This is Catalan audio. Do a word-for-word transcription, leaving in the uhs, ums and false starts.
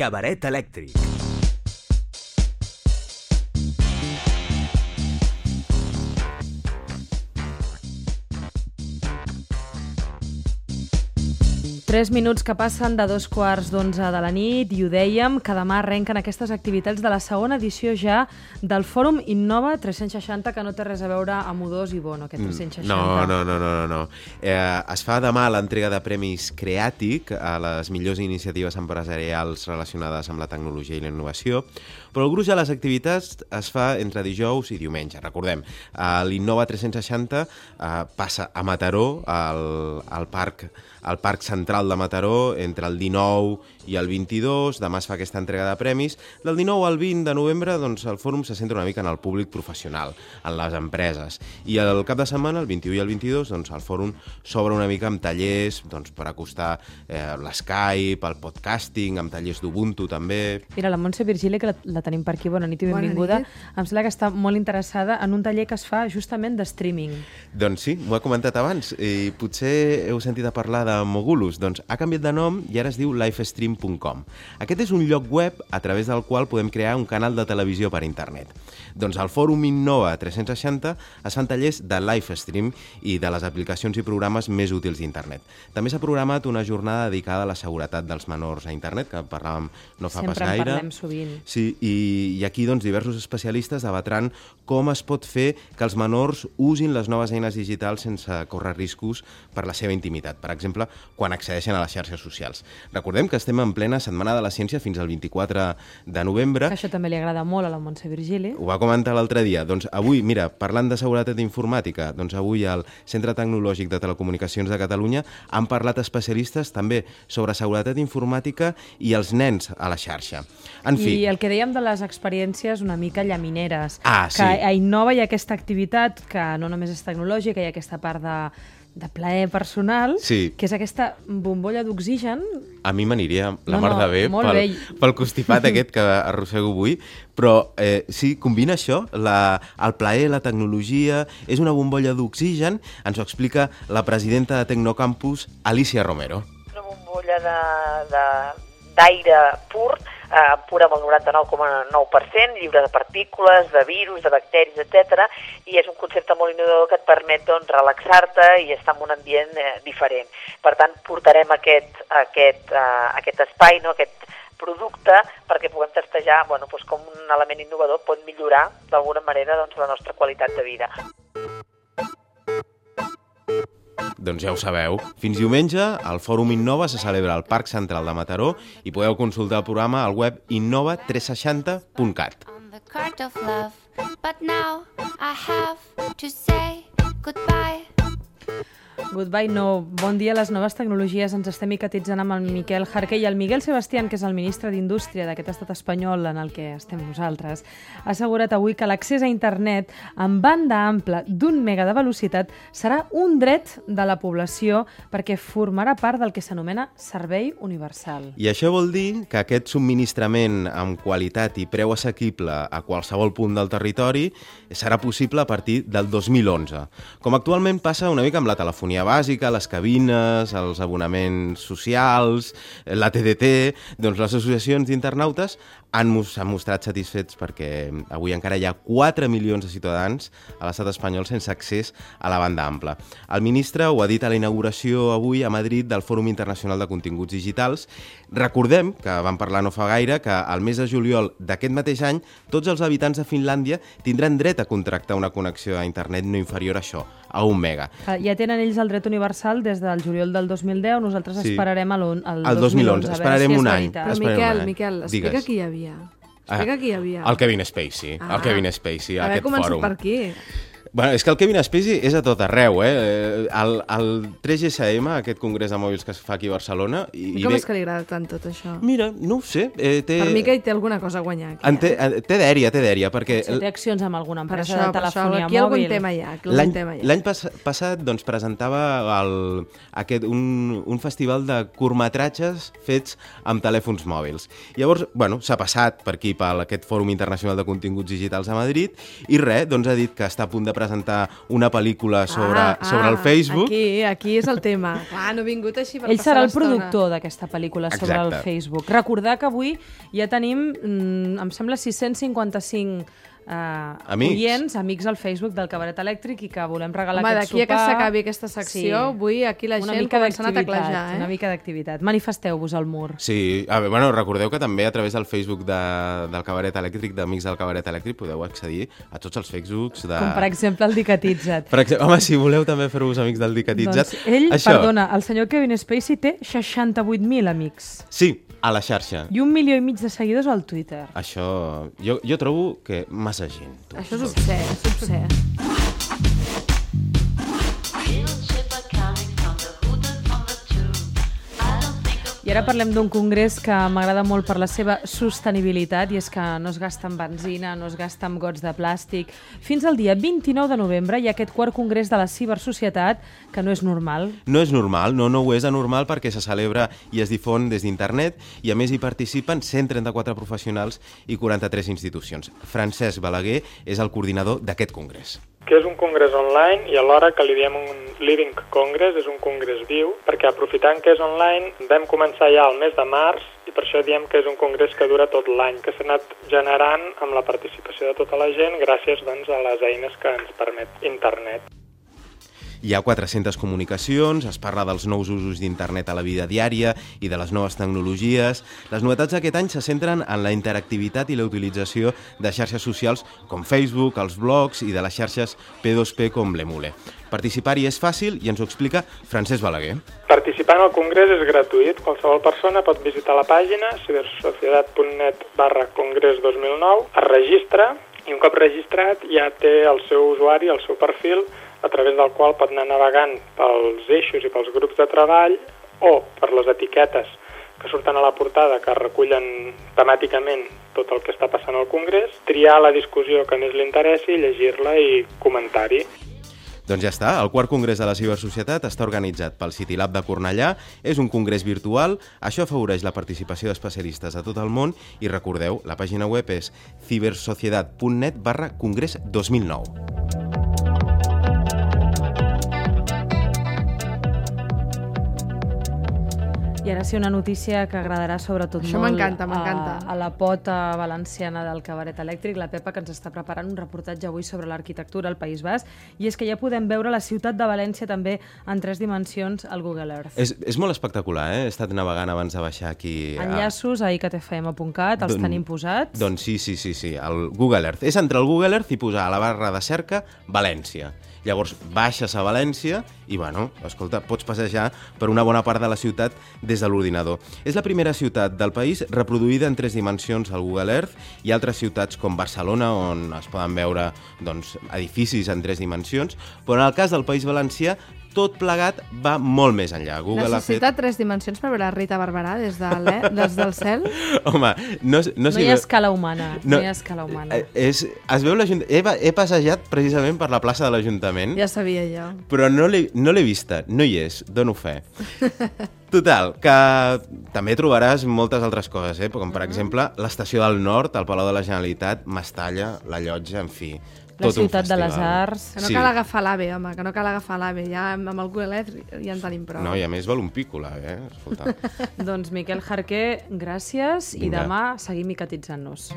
Cabaret elèctric. Tres minuts que passen de dos quarts d'onze de la nit i ho dèiem, que demà arrenquen aquestes activitats de la segona edició ja del Fòrum Innova tres-cents seixanta, que no té res a veure amb U dos i Bono, aquest tres-cents seixanta. No, no, no, no, no. Eh, es fa demà l'entrega de premis Creàtic a les millors iniciatives empresarials relacionades amb la tecnologia i la innovació, però el gruix de les activitats es fa entre dijous i diumenge. Recordem, eh, l'Innova tres-cents seixanta eh, passa a Mataró, al, al parc al Parc Central de Mataró, entre el dinou i el vint-i-dos. Demà es fa aquesta entrega de premis. Del dinou al vint de novembre, doncs, el fòrum se centra una mica en el públic professional, en les empreses. I el cap de setmana, el vint-i-u i el vint-i-dos, doncs, el fòrum s'obre una mica amb tallers doncs, per acostar eh, l'Skype, el podcasting, amb tallers d'Ubuntu també. Mira, la Montse Virgili, que la, la tenim per aquí, bona nit i benvinguda, em sembla que està molt interessada en un taller que es fa justament de streaming. Doncs sí, m'ho he comentat abans, i potser heu sentit a parlar de Mogulus. Doncs ha canviat de nom i ara es diu livestream punt com. Aquest és un lloc web a través del qual podem crear un canal de televisió per internet. Doncs al Fòrum Innova tres-cents seixanta es fan tallers de livestream i de les aplicacions i programes més útils d'internet. També s'ha programat una jornada dedicada a la seguretat dels menors a internet, que parlàvem no fa Sempre pas gaire. Sempre en parlem sovint. Sí, i, i aquí doncs, diversos especialistes debatran com es pot fer que els menors usin les noves eines digitals sense córrer riscos per la seva intimitat. Per exemple, quan accedeixen a les xarxes socials. Recordem que estem en plena Setmana de la Ciència fins al vint-i-quatre de novembre. Que això també li agrada molt a la Montse Virgili. Ho va comentar l'altre dia. Doncs avui, mira, parlant de seguretat informàtica, doncs avui al Centre Tecnològic de Telecomunicacions de Catalunya han parlat especialistes també sobre seguretat informàtica i els nens a la xarxa. En fi. I el que dèiem de les experiències una mica llamineres. Ah, sí. Que a Innova hi ha aquesta activitat que no només és tecnològica, hi ha aquesta part de de plaer personal, sí. que és aquesta bombolla d'oxigen. A mi m'aniria la no, mar de bé no, pel, pel constipat aquest que arrossego avui, però eh, sí, combina això, la, el plaer, la tecnologia, és una bombolla d'oxigen, ens ho explica la presidenta de Tecnocampus, Alicia Romero. Una bombolla d'aire pur, eh, pura amb el noranta-nou coma nou per cent, lliure de partícules, de virus, de bacteris, etcètera, i és un concepte molt innovador que et permet doncs, relaxar-te i estar en un ambient eh, diferent. Per tant, portarem aquest, aquest, eh, aquest espai, no? Aquest producte, perquè puguem testejar bueno, doncs com un element innovador pot millorar d'alguna manera doncs, la nostra qualitat de vida. Doncs ja ho sabeu. Fins diumenge, el Fòrum Innova se celebra al Parc Central de Mataró i podeu consultar el programa al web innova tres seixanta punt cat. Goodbye, no. Bon dia a les noves tecnologies. Ens estem micatitzant amb el Miquel Jarqué i el Miguel Sebastián, que és el ministre d'Indústria d'aquest estat espanyol en el que estem nosaltres, ha assegurat avui que l'accés a internet amb banda ampla d'un mega de velocitat serà un dret de la població perquè formarà part del que s'anomena servei universal. I això vol dir que aquest subministrament amb qualitat i preu assequible a qualsevol punt del territori serà possible a partir del dos mil onze. Com actualment passa una mica amb la telefonia bàsica, les cabines, els abonaments socials, la T D T, doncs les associacions d'internautes han mostrat satisfets perquè avui encara hi ha quatre milions de ciutadans a l'estat espanyol sense accés a la banda ampla. El ministre ho ha dit a la inauguració avui a Madrid del Fòrum Internacional de Continguts Digitals. Recordem, que vam parlar no fa gaire, que al mes de juliol d'aquest mateix any tots els habitants de Finlàndia tindran dret a contractar una connexió a internet no inferior a això, a un mega. Ja tenen ells el dret universal des del juliol del dos mil deu, nosaltres sí. esperarem el, el, el dos mil onze. Esperarem si un any. Però Miquel, Miquel, explica qui hi havia. Explica qui hi havia. El Kevin Spacey. Ah, el Kevin Spacey, a aquest fòrum. Haver començat per aquí. Bueno, és que el Kevin Spacey és a tot arreu, eh? El, el tres G S M, aquest congrés de mòbils que es fa aquí a Barcelona... I, I com i és que li agrada tant tot això? Mira, no ho sé. Eh, té... Per mi que hi té alguna cosa a guanyar aquí. En té, eh? té dèria, té dèria, perquè... Si té accions amb alguna empresa això, de telefonia això, aquí mòbil. Algun tema hi ha, L'any l'any pas, passat doncs, presentava el, aquest, un, un festival de curtmetratges fets amb telèfons mòbils. Llavors, bueno, s'ha passat per aquí, per aquest Fòrum Internacional de Continguts Digitals a Madrid, i res, doncs ha dit que està a punt de presentar una pel·lícula sobre, ah, sobre el Facebook. Aquí, aquí és el tema. Clar, no he vingut així per Ell passar serà el l'estona. productor d'aquesta pel·lícula sobre Exacte. el Facebook. Recordar que avui ja tenim, mm, em sembla, sis-cents cinquanta-cinc Uh, amics. oients, amics al Facebook del Cabaret Elèctric i que volem regalar Home, aquest d'aquí sopar. a que s'acabi aquesta secció, Sí. avui aquí la Una gent mica començant a d'activitat, teclejar, eh? Una mica d'activitat. Manifesteu-vos al mur. Sí, a veure, bueno, recordeu que també a través del Facebook de, del Cabaret Elèctric, d'Amics del Cabaret Elèctric, podeu accedir a tots els Facebooks de... Com per exemple el Dicatitzat. Per exemple, home, si voleu també fer-vos amics del Dicatitzat. Doncs ell, Això, perdona, el senyor Kevin Spacey té seixanta-vuit mil amics. Sí, a la xarxa. I un milió i mig de seguidors al Twitter. Això, jo, jo trobo que massa gent. Tu. Això és obscè, és obscè. I ara parlem d'un congrés que m'agrada molt per la seva sostenibilitat, i és que no es gasta en benzina, no es gasta en gots de plàstic. Fins al dia vint-i-nou de novembre hi ha aquest quart congrés de la cibersocietat, que no és normal. No és normal, no, no ho és anormal perquè se celebra i es difon des d'internet i a més hi participen cent trenta-quatre professionals i quaranta-tres institucions. Francesc Balaguer és el coordinador d'aquest congrés. Que és un congrés online i alhora que li diem un Living Congress, és un congrés viu, perquè aprofitant que és online vam començar ja al mes de març i per això diem que és un congrés que dura tot l'any, que s'ha anat generant amb la participació de tota la gent gràcies doncs, a les eines que ens permet internet. Hi ha quatre-centes comunicacions, es parla dels nous usos d'internet a la vida diària i de les noves tecnologies. Les novetats d'aquest any se centren en la interactivitat i la utilització de xarxes socials com Facebook, els blogs i de les xarxes P dos P com l'Emule. Participar-hi és fàcil i ens ho explica Francesc Balaguer. Participar en el congrés és gratuït. Qualsevol persona pot visitar la pàgina cibersocietat punt net barra congrés dos mil nou, es registra i un cop registrat ja té el seu usuari, el seu perfil, a través del qual pot anar navegant pels eixos i pels grups de treball o per les etiquetes que surten a la portada que recullen temàticament tot el que està passant al congrés, triar la discussió que més li interessi, llegir-la i comentar-hi. Doncs ja està, el quart congrés de la cibersocietat està organitzat pel CityLab de Cornellà, és un congrés virtual, això afavoreix la participació d'especialistes a tot el món i recordeu, la pàgina web és cibersocietat punt net barra congrés dos mil nou. I ara sí, una notícia que agradarà sobretot Això molt m'encanta, m'encanta. a, a la pota valenciana del Cabaret Elèctric, la Pepa, que ens està preparant un reportatge avui sobre l'arquitectura al País Basc, i és que ja podem veure la ciutat de València també en tres dimensions al Google Earth. És, és molt espectacular, eh? He estat navegant abans de baixar aquí. Enllaços a i c t f m punt cat, els Don, tenim posats. Doncs sí, sí, sí, sí, el Google Earth. És entre el Google Earth i posar a la barra de cerca València. Llavors baixes a València i, bueno, escolta, pots passejar per una bona part de la ciutat des de l'ordinador. És la primera ciutat del país reproduïda en tres dimensions al Google Earth i altres ciutats com Barcelona, on es poden veure doncs, edificis en tres dimensions, però en el cas del País Valencià tot plegat va molt més enllà. Google Necessita ha fet... tres dimensions per veure Rita Barberà des, de des del cel? Home, no, no, no hi ha escala humana. No, no hi ha escala humana. És, es veu he, he passejat precisament per la plaça de l'Ajuntament. Ja sabia jo. Però no l'he no l'he vista, no hi és, dono fe. Total, que també trobaràs moltes altres coses, eh? Com per exemple l'Estació del Nord, el Palau de la Generalitat, Mestalla, la Llotja, en fi. La ciutat de les arts. Que no Sí. cal agafar l'AVE, home, que no cal agafar l'AVE. Ja amb el Google Earth ja en tenim prou. No, i a més val un pico, l'AVE, eh? Escolta. Doncs Miquel Jarqué, gràcies, Vinga. i demà seguim micatitzant-nos.